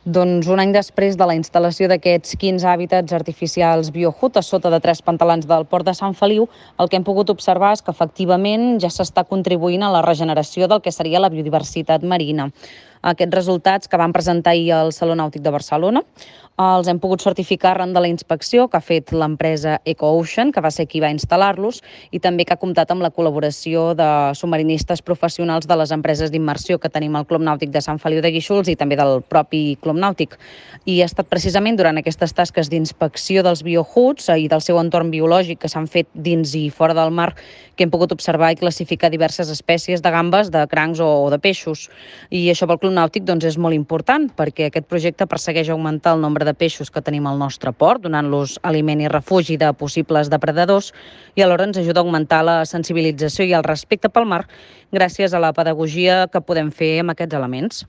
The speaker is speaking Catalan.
Doncs un any després de la instal·lació d'aquests 15 hàbitats artificials BioHood a sota de 3 pantalans del port de Sant Feliu, el que hem pogut observar és que efectivament ja s'està contribuint a la regeneració del que seria la biodiversitat marina. Aquests resultats que van presentar ahir al Saló Nàutic de Barcelona els hem pogut certificar arran de la inspecció que ha fet l'empresa EcoOcean, que va ser qui va instal·lar-los, i també que ha comptat amb la col·laboració de submarinistes professionals de les empreses d'immersió que tenim al Club Nàutic de Sant Feliu de Guíxols i també del propi Club Nàutic. I ha estat precisament durant aquestes tasques d'inspecció dels BioHoods i del seu entorn biològic que s'han fet dins i fora del mar que hem pogut observar i classificar diverses espècies de gambes, de crancs o de peixos. I això pel Club Nàutic doncs, és molt important perquè aquest projecte persegueix augmentar el nombre de peixos que tenim al nostre port, donant-los aliment i refugi de possibles depredadors, i alhora ens ajuda a augmentar la sensibilització i el respecte pel mar gràcies a la pedagogia que podem fer amb aquests elements.